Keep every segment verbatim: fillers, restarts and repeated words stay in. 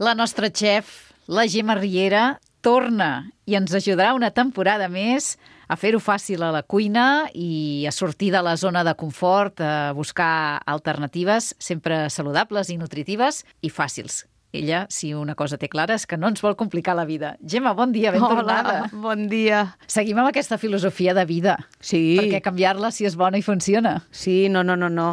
La nostra xef, la Gemma Riera, torna i ens ajudarà una temporada més a fer-ho fàcil a la cuina i a sortir de la zona de confort, a buscar alternatives sempre saludables i nutritives i fàcils. Ella, si una cosa té clara, és que no ens vol complicar la vida. Gemma, bon dia, ben Hola, tornada. bon dia. Seguim amb aquesta filosofia de vida. Sí. Perquè canviar-la si és bona i funciona. Sí, no, no, no, no.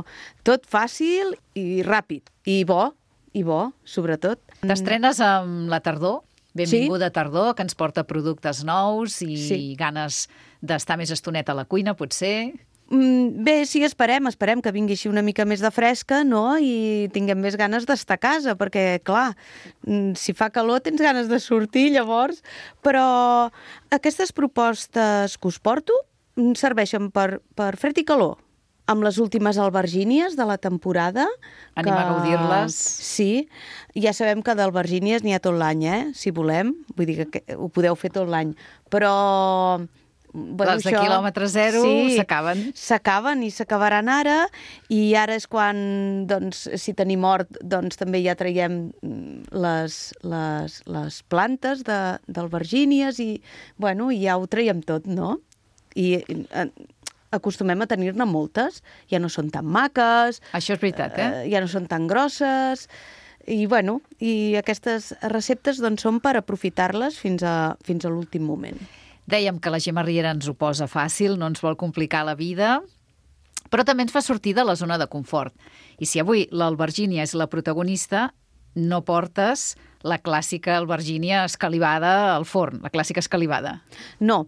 Tot fàcil i ràpid. I bo, i bo, sobretot. T'estrenes amb la tardor. Benvinguda sí. Tardor, que ens porta productes nous i sí. ganes d'estar més estoneta a la cuina, potser. Bé, sí, esperem, esperem que vingui així una mica més de fresca, no?, i tinguem més ganes d'estar a casa, perquè, clar, si fa calor tens ganes de sortir, llavors, però aquestes propostes que us porto serveixen per, per fred i calor, amb les últimes albergínies de la temporada. Anem que... a gaudir-les. Sí, ja sabem que d'albergínies n'hi ha tot l'any, eh?, si volem, vull dir que ho podeu fer tot l'any, però... Bueno, les de això, quilòmetre zero sí, s'acaben. S'acaben i s'acabaran ara, i ara és quan, doncs, si tenim hort, doncs també ja traiem les, les, les plantes d'albergínies i, bueno, ja ho traiem tot, no? I eh, acostumem a tenir-ne moltes, ja no són tan maques. Això és veritat, eh? eh ja no són tan grosses, i, bueno, i aquestes receptes, doncs, són per aprofitar-les fins a, fins a l'últim moment. Dèiem que la Gemma Riera ens ho posa fàcil, no ens vol complicar la vida, però també ens fa sortir de la zona de confort. I si avui l'albergínia és la protagonista, no portes la clàssica albergínia escalivada al forn, la clàssica escalivada. No,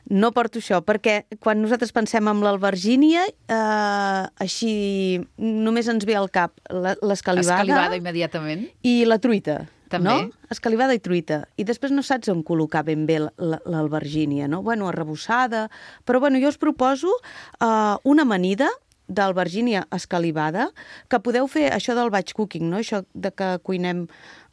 no porto això, perquè quan nosaltres pensem en l'albergínia, eh, així només ens ve al cap l'escalivada... Escalivada immediatament. I la truita. També. No? Escalivada i truita. I després no saps on col·locar ben bé l'albergínia, no? Bueno, arrebossada... Però, bueno, jo us proposo uh, una amanida d'albergínia escalivada, que podeu fer això del batch cooking, no? Això de que cuinem...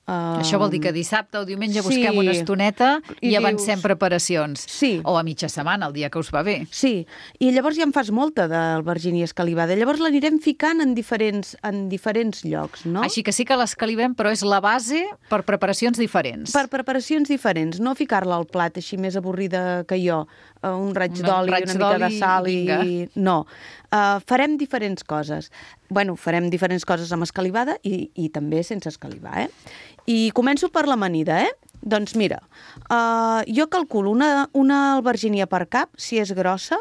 Uh... Això vol dir que dissabte o diumenge busquem sí. una estoneta i, i avancem dius... preparacions. Sí. O a mitja setmana, el dia que us va bé. Sí, i llavors ja en fas molta d'albergínia escalivada. Llavors l'anirem ficant en diferents, en diferents llocs, no? Així que sí que l'escalivem, però és la base per preparacions diferents. Per preparacions diferents, no ficar-la al plat així més avorrida que jo, un raig d'oli, una mica de sal i... i... No, uh, farem diferents coses. Bueno, farem diferents coses amb escalivada i, i també sense escalivar, eh? I començo per l'amanida, eh? Doncs mira, uh, jo calculo una, una albergínia per cap, si és grossa,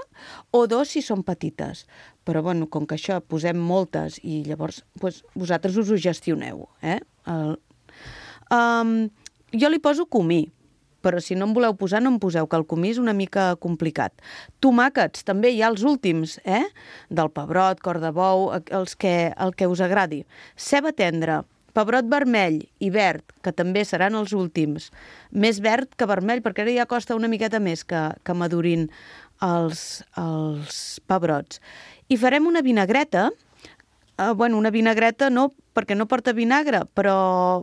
o dos si són petites. Però, bueno, com que això posem moltes i llavors pues, vosaltres us ho gestioneu, eh? El, um, jo li poso comí, però si no en voleu posar, no en poseu, que el comí és una mica complicat. Tomàquets, també hi ha els últims, eh? Del pebrot, cor de bou, els que, el que us agradi. Ceba tendra, pebrot vermell i verd, que també seran els últims. Més verd que vermell, perquè ara ja costa una miqueta més que, que madurin els, els pebrots. I farem una vinagreta, eh, bueno, una vinagreta no, perquè no porta vinagre, però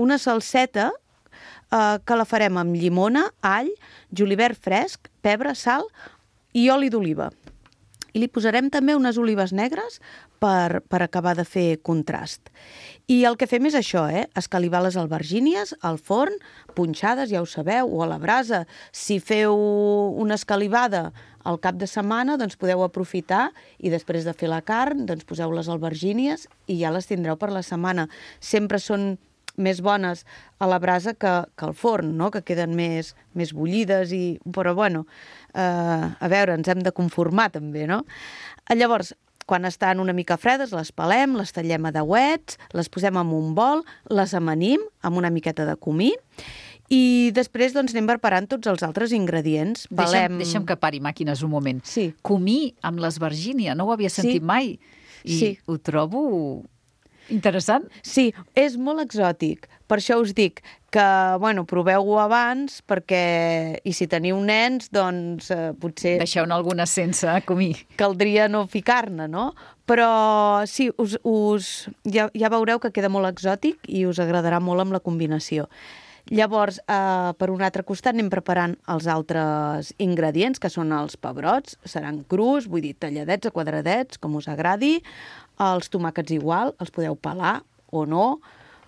una salseta eh, que la farem amb llimona, all, julivert fresc, pebre, sal i oli d'oliva. I li posarem també unes olives negres per, per acabar de fer contrast. I el que fem és això, eh? Escalivar les albergínies al forn, punxades, ja ho sabeu, o a la brasa. Si feu una escalivada al cap de setmana, doncs podeu aprofitar i després de fer la carn, doncs poseu les albergínies i ja les tindreu per la setmana. Sempre són més bones a la brasa que, que al forn, no? Que queden més, més bullides, i... però bueno, eh, a veure, ens hem de conformar també, no? Llavors, quan estan una mica fredes, les pelem, les tallem a deuets, les posem en un bol, les amanim amb una miqueta de comí i després doncs, anem preparant tots els altres ingredients. Deixa'm, Valem... deixa'm que pari màquines un moment. Sí. Comí amb l'esvergínia, no ho havia sentit sí. mai. I sí. ho trobo interessant. Sí, és molt exòtic. Per això us dic que, bueno, proveu-ho abans, perquè, i si teniu nens, doncs eh, potser... Deixeu-ne alguna sense comí. Caldria no ficar-ne, no? Però sí, us, us, ja, ja veureu que queda molt exòtic i us agradarà molt amb la combinació. Llavors, eh, per un altre costat, anem preparant els altres ingredients, que són els pebrots, seran crus, vull dir, talladets a quadradets, com us agradi. Els tomàquets igual, els podeu pelar o no.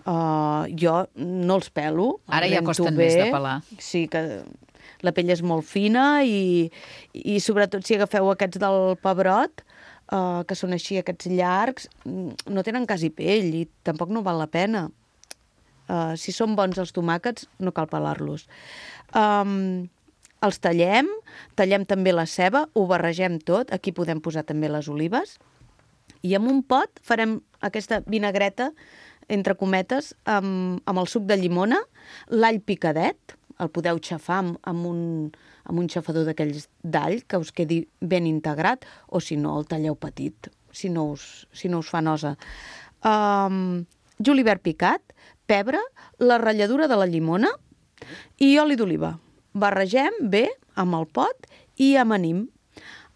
Uh, jo no els pelo. Ara ja costen bé. més de pelar. Sí, que la pell és molt fina i, i sobretot si agafeu aquests del pebrot, uh, que són així, aquests llargs, no tenen quasi pell i tampoc no val la pena. Uh, si són bons els tomàquets, no cal pelar-los. Um, els tallem, tallem també la ceba, ho barregem tot, aquí podem posar també les olives, i en un pot farem aquesta vinagreta, entre cometes, amb, amb el suc de llimona, l'all picadet, el podeu xafar amb, amb, un, amb un xafador d'aquells d'all, que us quedi ben integrat, o si no, el talleu petit, si no us, si no us fa nosa. Um, julivert picat, pebre, la ratlladura de la llimona i oli d'oliva. Barregem bé amb el pot i amanim.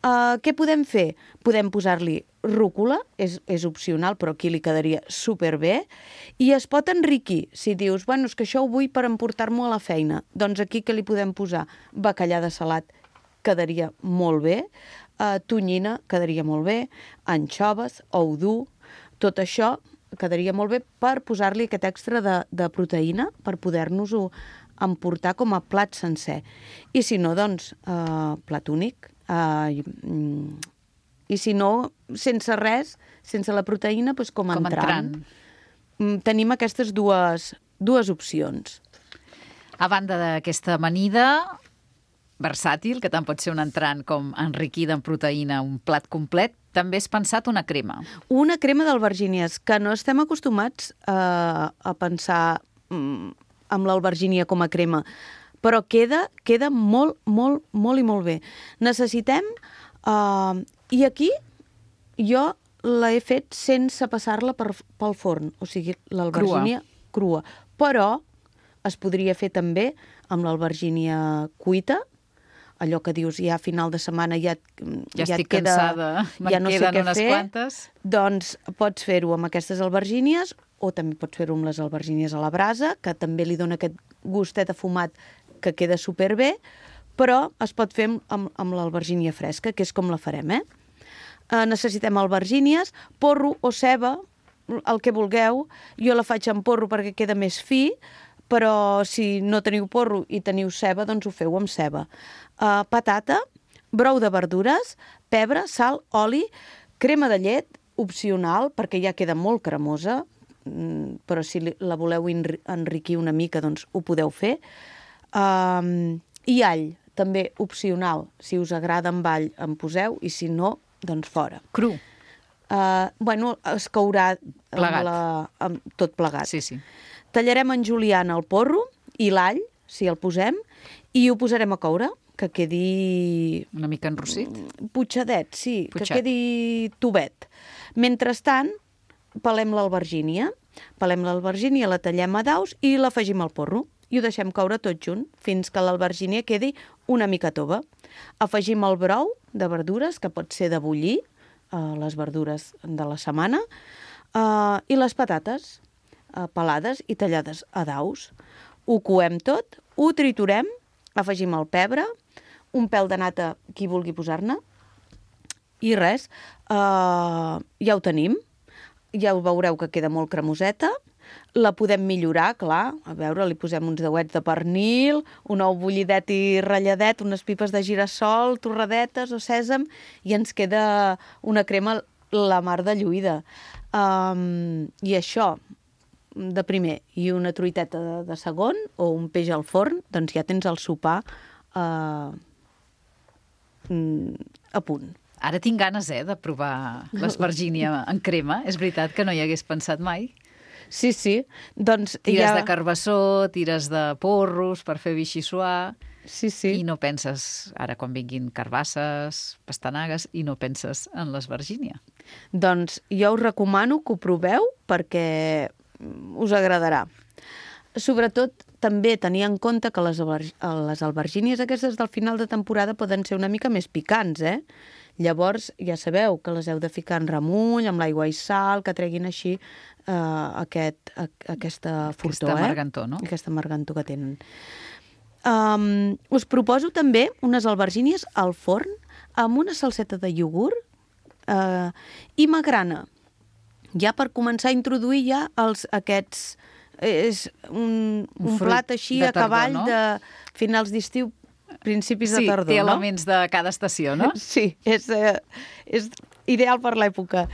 Uh, què podem fer? Podem posar-li rúcula, és, és opcional, però aquí li quedaria superbé, i es pot enriquir. Si dius, bueno, és que això ho vull per emportar-m'ho a la feina, doncs aquí que li podem posar bacallà de salat, quedaria molt bé, uh, tonyina, quedaria molt bé, anxoves, ou dur, tot això quedaria molt bé per posar-li aquest extra de, de proteïna, per poder-nos-ho emportar com a plat sencer. I si no, doncs, uh, plat únic, uh, mm, i si no, sense res, sense la proteïna, doncs com, com entrant. entrant. Tenim aquestes dues, dues opcions. A banda d'aquesta amanida versàtil, que tant pot ser un entrant com enriquida en proteïna, un plat complet, també has pensat una crema. Una crema d'albergínies, que no estem acostumats a, a pensar mm, amb l'albergínia com a crema, però queda, queda molt, molt, molt i molt bé. Necessitem... Uh, I aquí jo l'he fet sense passar-la per, pel forn, o sigui, l'albergínia crua. crua. Però es podria fer també amb l'albergínia cuita, allò que dius, ja a final de setmana ja, ja, ja estic et queda, cansada, ja no sé què unes fer, quantes. Doncs pots fer-ho amb aquestes albergínies o també pots fer-ho amb les albergínies a la brasa, que també li dona aquest gustet afumat que queda superbé, però es pot fer amb, amb l'albergínia fresca, que és com la farem, eh? eh? Necessitem albergínies, porro o ceba, el que vulgueu. Jo la faig amb porro perquè queda més fi, però si no teniu porro i teniu ceba, doncs ho feu amb ceba. Uh, patata, brou de verdures, pebre, sal, oli, crema de llet, opcional, perquè ja queda molt cremosa, però si la voleu enriquir una mica, doncs ho podeu fer. Um, I all, també opcional. Si us agrada amb all, en poseu, i si no, doncs fora. Cru. Uh, bueno, es courà plegat. Amb la, amb tot plegat. Sí, sí. Tallarem en juliana el porro i l'all, si el posem, i ho posarem a coure, que quedi... Una mica enrossit? Putxadet, sí, Putxat. Que quedi tubet. Mentrestant, pelem l'albergínia. Pelem l'albergínia, la tallem a daus i l'afegim al porro. I ho deixem coure tot junt, fins que l'albergínia quedi una mica tova. Afegim el brou de verdures, que pot ser de bullir, eh, les verdures de la setmana, eh, i les patates eh, pelades i tallades a daus. Ho coem tot, ho triturem, afegim el pebre, un pèl de nata, qui vulgui posar-ne, i res, eh, ja ho tenim. Ja ho veureu que queda molt cremoseta. La podem millorar, clar, a veure, li posem uns deuets de pernil, un ou bullidet i ratlladet, unes pipes de girassol, torradetes o sèsam, i ens queda una crema la mar de lluïda. Um, I això, de primer, i una truiteta de, de segon, o un peix al forn, doncs ja tens el sopar uh, a punt. Ara tinc ganes, eh, de provar l'espergínia en crema. És veritat que no hi hagués pensat mai. Sí, sí. Doncs tires ja... de carbassó, tires de porros per fer vichysoir. Sí, sí. I no penses, ara quan vinguin carbasses, pastanagues, i no penses en l'espergínia. Doncs jo us recomano que ho proveu perquè us agradarà. Sobretot, també tenir en compte que les, les albergínies aquestes del final de temporada poden ser una mica més picants, eh? Llavors, ja sabeu que les heu de ficar en remull, amb l'aigua i sal, que treguin així eh, aquest, a, aquesta furtor, aquesta amargantó, eh? no? Aquesta amargantó que tenen. Um, us proposo també unes albergínies al forn amb una salseta de iogurt uh, i magrana. Ja per començar a introduir ja els, aquests És un, un, un plat així a cavall no? de finals d'estiu, principis sí, de tardor. Sí, té elements no? de cada estació, no? Sí, és, eh, és ideal per l'època.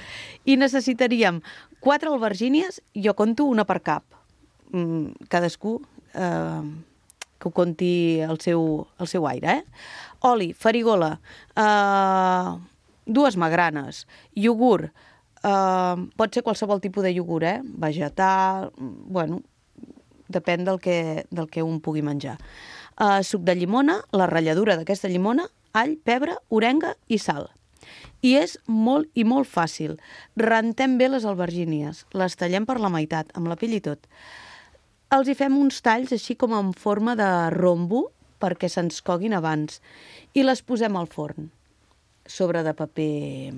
I necessitaríem quatre albergínies, jo conto una per cap. Mm, cadascú eh, que ho conti al seu, al seu aire, eh? Oli, farigola, eh, dues magranes, iogurt, eh, pot ser qualsevol tipus de iogurt, eh? Vegetal, bueno, depèn del que, del que un pugui menjar. Uh, suc de llimona, la ratlladura d'aquesta llimona, all, pebre, orenga i sal. I és molt i molt fàcil. Rentem bé les albergínies, les tallem per la meitat, amb la pell i tot. Els hi fem uns talls així com en forma de rombo perquè se'ns coguin abans i les posem al forn, sobre de paper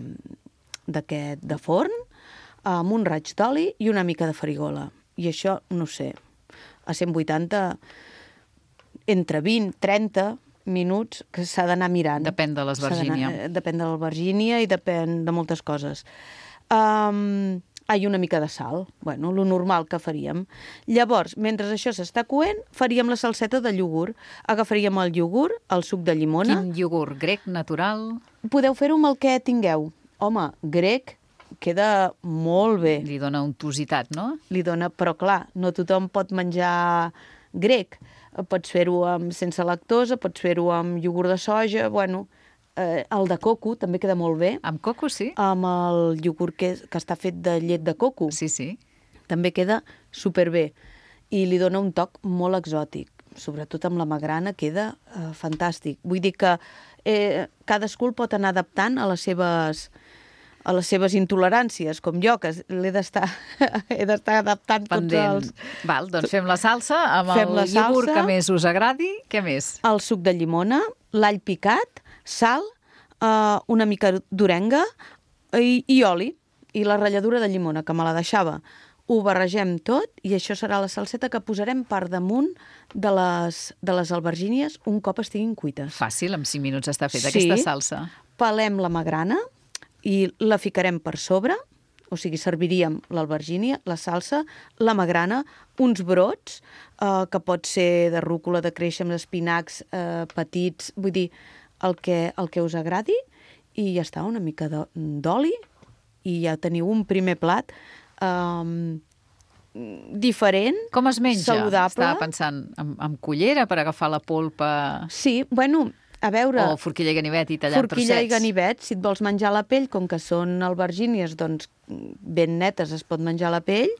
d'aquest de forn, amb un raig d'oli i una mica de farigola. I això, no sé, a cent vuitanta... entre vint i trenta minuts que s'ha d'anar mirant. Depèn de l'esvergínia. Depèn de l'albergínia i depèn de moltes coses. Um, ah, i una mica de sal. Bueno, lo normal que faríem. Llavors, mentre això s'està coent, faríem la salseta de iogurt. Agafaríem el iogurt, el suc de llimona... Quin iogurt? Grec, natural? Podeu fer-ho amb el que tingueu. Home, grec queda molt bé. Li dona untositat, no? Li dona, però clar, no tothom pot menjar grec. Pots fer-ho amb, sense lactosa, pots fer-ho amb iogurt de soja, bueno, eh, el de coco també queda molt bé. Amb coco, sí? Amb el iogurt que, que està fet de llet de coco. Sí, sí. També queda superbé i li dona un toc molt exòtic. Sobretot amb la magrana queda eh, fantàstic. Vull dir que eh, cadascú el pot anar adaptant a les seves... a les seves intoleràncies, com jo, que l'he d'estar he d'estar adaptant Pendent. Tots els... Val, doncs fem la salsa amb fem el iogurt que més us agradi. Què més? El suc de llimona, l'all picat, sal, eh, una mica d'orenga i, i oli, i la ratlladura de llimona, que me la deixava. Ho barregem tot i això serà la salseta que posarem per damunt de les, de les albergínies un cop estiguin cuites. Fàcil, en cinc minuts està feta sí, aquesta salsa. Pelem la magrana i la ficarem per sobre, o sigui, serviríem l'albergínia, la salsa, la magrana, uns brots, eh, que pot ser de rúcula, de créixer, d'espinacs, eh, petits, vull dir, el que, el que us agradi, i ja està, una mica d'oli, i ja teniu un primer plat eh, diferent, com es menja? Saludable. Estava pensant, amb, amb cullera per agafar la polpa... Sí, bueno... A veure, o forquilla i ganivet i tallar forquilla i ganivet, si et vols menjar la pell, com que són albergínies, doncs ben netes es pot menjar la pell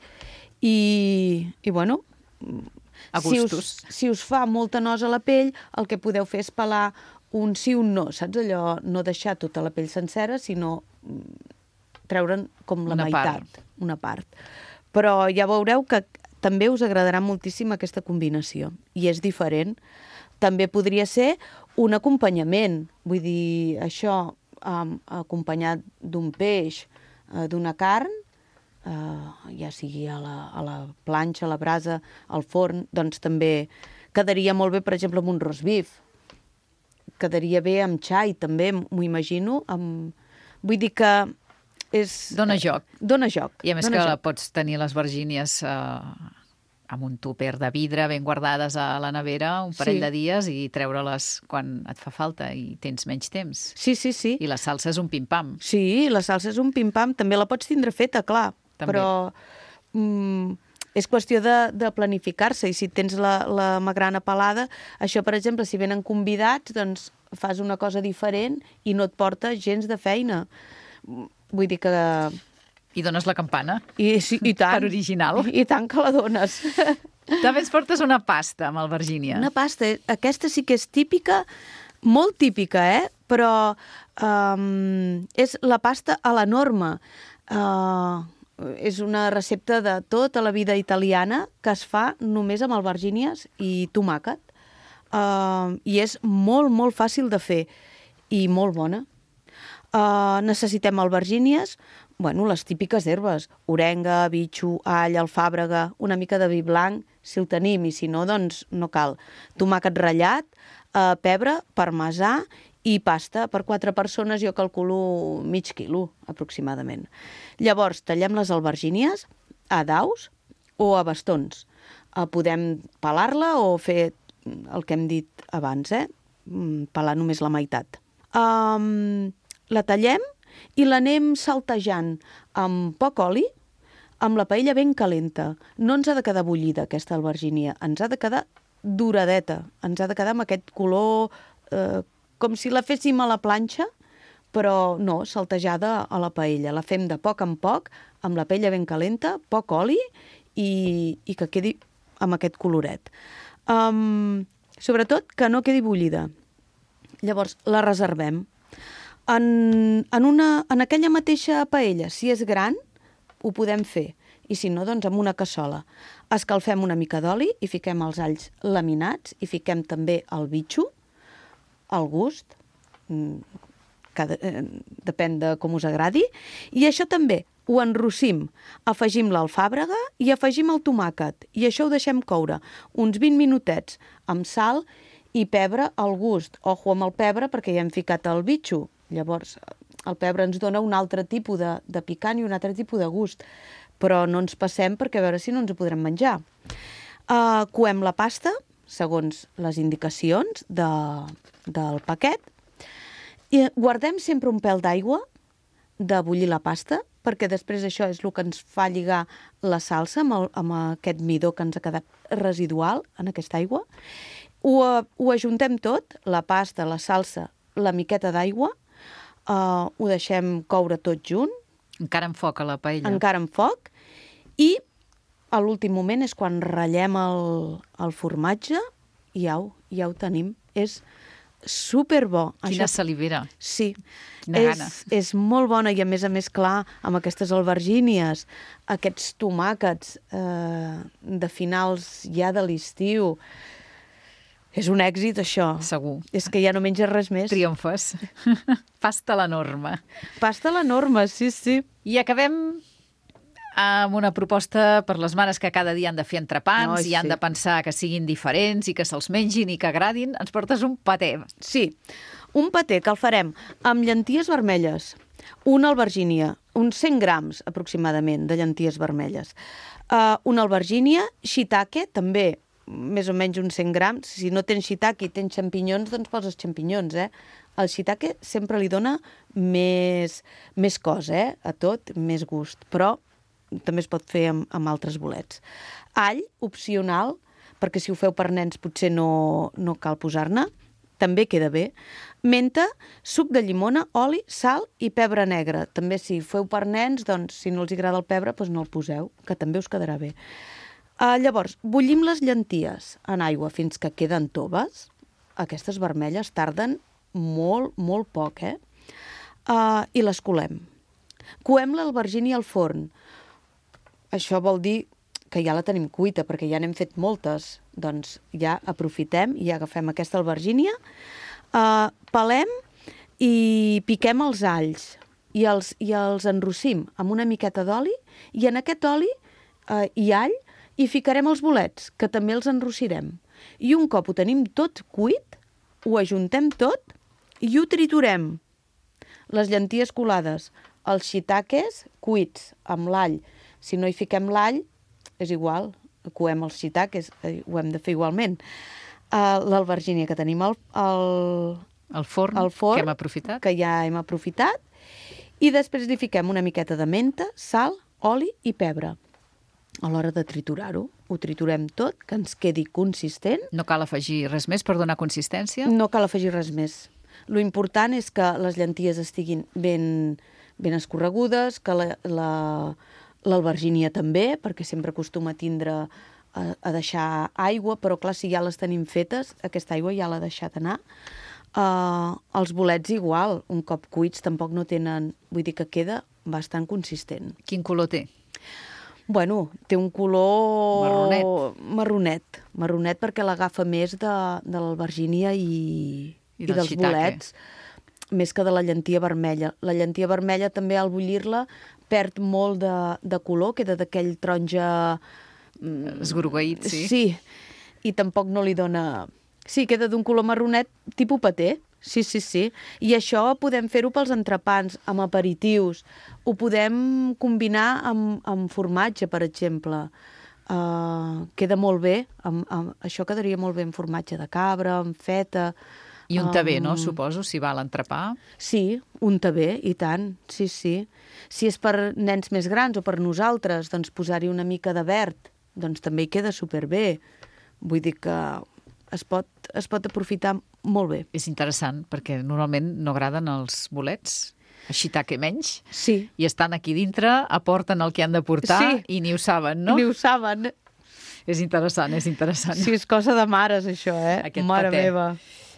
i, i bueno, a si gustos. us, si us fa molta nosa la pell, el que podeu fer és pelar un sí, un no, saps allò? No deixar tota la pell sencera, sinó treure'n com la una meitat, part. una part. Però ja veureu que també us agradarà moltíssim aquesta combinació i és diferent. També podria ser un acompanyament, vull dir, això um, acompanyat d'un peix, uh, d'una carn, uh, ja sigui a la, a la planxa, a la brasa, al forn, doncs també quedaria molt bé, per exemple, amb un roast beef. Quedaria bé amb xai, també, m'ho imagino. Amb... Vull dir que és... Dóna joc. Dóna joc. I a més que joc. Pots tenir les vergínies... Uh... amb un tupper de vidre ben guardades a la nevera un parell sí. de dies i treure-les quan et fa falta i tens menys temps. Sí, sí, sí. I la salsa és un pim-pam. Sí, la salsa és un pim-pam. També la pots tindre feta, clar. També. Però mm, és qüestió de, de planificar-se. I si tens la, la magrana pelada, això, per exemple, si venen convidats, doncs fas una cosa diferent i no et porta gens de feina. Vull dir que... I dones la campana. I, sí, i tant. Per original. I, I tant que la dones. També ens portes una pasta amb albergínia. Una pasta. Aquesta sí que és típica, molt típica, eh? Però um, és la pasta a la norma. Uh, és una recepta de tota la vida italiana que es fa només amb albergínies i tomàquet. Uh, I és molt, molt fàcil de fer i molt bona. Uh, necessitem albergínies, bueno, les típiques herbes, orenga, bitxo, all, alfàbrega, una mica de vi blanc, si el tenim, i si no, doncs no cal. Tomàquet ratllat, uh, pebre, parmesà i pasta. Per quatre persones jo calculo mig quilo, aproximadament. Llavors, tallem les albergínies a daus o a bastons. Uh, podem pelar-la o fer el que hem dit abans, eh? Pelar només la meitat. Um, la tallem i l'anem saltejant amb poc oli, amb la paella ben calenta. No ens ha de quedar bullida, aquesta albergínia. Ens ha de quedar doradeta. Ens ha de quedar amb aquest color eh, com si la féssim a la planxa, però no, saltejada a la paella. La fem de poc en poc, amb la paella ben calenta, poc oli i, i que quedi amb aquest coloret. Um, sobretot que no quedi bullida. Llavors, la reservem. En, en, una, en aquella mateixa paella, si és gran, ho podem fer. I si no, doncs amb una cassola. Escalfem una mica d'oli i fiquem els alls laminats i fiquem també el bitxo, al gust, cada, eh, depèn de com us agradi, i això també ho enrossim, afegim l'alfàbrega i afegim el tomàquet, i això ho deixem coure uns vint minutets amb sal i pebre al gust. Ojo amb el pebre perquè ja hem ficat el bitxo, llavors el pebre ens dona un altre tipus de, de picant i un altre tipus de gust, però no ens passem perquè a veure si no ens ho podrem menjar. Uh, coem la pasta, segons les indicacions de, del paquet, i guardem sempre un pèl d'aigua de bullir la pasta, perquè després això és el que ens fa lligar la salsa amb, el, amb aquest midó que ens ha quedat residual en aquesta aigua. Ho, ho ajuntem tot, la pasta, la salsa, la miqueta d'aigua, uh, ho deixem coure tot junt. Encara amb foc a la paella. Encara amb foc. I a l'últim moment és quan ratllem el, el formatge i ja ho, ja ho tenim. És superbo. Quina Això... salivera. Sí. Quina és, gana. És molt bona i a més a més, clar, amb aquestes albergínies, aquests tomàquets eh, de finals ja de l'estiu. És un èxit, això. Segur. És que ja no menges res més. Triomfes. Pasta a la norma. Pasta a la norma, sí, sí. I acabem amb una proposta per les mares que cada dia han de fer entrepans no, i han sí. de pensar que siguin diferents i que se'ls mengin i que agradin. Ens portes un patè. Sí, un patè que el farem amb llenties vermelles, una albergínia, uns cent grams aproximadament de llenties vermelles, uh, una albergínia, shiitake, també més o menys uns cent grams. Si no tens shiitake i tens xampinyons, doncs poses xampinyons, eh? El shiitake sempre li dona més, més cos, eh? A tot, més gust, però també es pot fer amb, amb altres bolets. All, opcional, perquè si ho feu per nens potser no, no cal posar-ne, també queda bé. Menta, suc de llimona, oli, sal i pebre negre. També si feu per nens, doncs si no els agrada el pebre, doncs no el poseu, que també us quedarà bé. Uh, llavors, bullim les llenties en aigua fins que queden toves. Aquestes vermelles tarden molt, molt poc, eh? Uh, I les colem. Coem l'albergínia al forn. Això vol dir que ja la tenim cuita, perquè ja n'hem fet moltes. Doncs ja aprofitem i agafem aquesta albergínia, uh, pelem i piquem els alls i els, i els enrossim amb una miqueta d'oli i en aquest oli uh, i all hi ficarem els bolets, que també els enrossirem. I un cop ho tenim tot cuit, ho ajuntem tot i ho triturem. Les llenties colades, els shiitakes cuits amb l'all. Si no hi fiquem l'all, és igual, coem els shiitakes, ho hem de fer igualment. Uh, l'albergínia que tenim al, al, al forn, al forn, que hem aprofitat. Que ja hem aprofitat, i després li fiquem una miqueta de menta, sal, oli i pebre. A l'hora de triturar-ho, ho triturem tot, que ens quedi consistent. No cal afegir res més per donar consistència? No cal afegir res més. Lo important és que les llenties estiguin ben, ben escorregudes, que la... la l'albergínia també, perquè sempre acostuma a tindre a, a deixar aigua, però clar, si ja les tenim fetes, aquesta aigua ja l'ha deixat anar. Uh, els bolets igual, un cop cuits tampoc no tenen... Vull dir que queda bastant consistent. Quin color té? Bueno, té un color... Marronet. Marronet. Marronet perquè l'agafa més de, de l'albergínia i, I, i dels shiitake. bolets, més que de la llentia vermella. La llentia vermella també al bullir-la perd molt de, de color, queda d'aquell taronja... Esgrogueït, sí. Sí, i tampoc no li dona... Sí, queda d'un color marronet tipus paté. Sí, sí, sí. I això podem fer-ho pels entrepans, amb aperitius. Ho podem combinar amb, amb formatge, per exemple. Uh, queda molt bé, amb, amb, això quedaria molt bé amb formatge de cabra, amb feta. I un tabé, um, no? Suposo, si va a l'entrepà. Sí, un tabé, i tant, sí, sí. Si és per nens més grans o per nosaltres, doncs posar-hi una mica de verd, doncs també hi queda superbé. Vull dir que es pot, es pot aprofitar molt bé. És interessant, perquè normalment no agraden els bolets, així taque menys, sí. I estan aquí dintre, aporten el que han de portar sí. I ni ho saben, no? Ni ho saben. És interessant, és interessant. Sí, és cosa de mares, això, eh? Aquest Mare paté. Meva.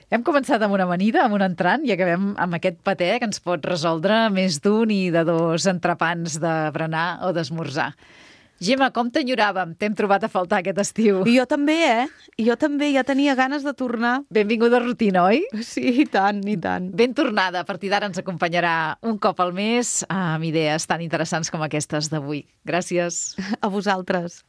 Hem començat amb una amanida, amb un entrant, i acabem amb aquest paté que ens pot resoldre més d'un i de dos entrepans de berenar o d'esmorzar. Gemma, com t'enyoràvem? T'hem trobat a faltar aquest estiu. I jo també, eh? I jo també, ja tenia ganes de tornar. Benvinguda a rutina, oi? Sí, i tant, i tant. Ben tornada. A partir d'ara ens acompanyarà un cop al mes amb idees tan interessants com aquestes d'avui. Gràcies. A vosaltres.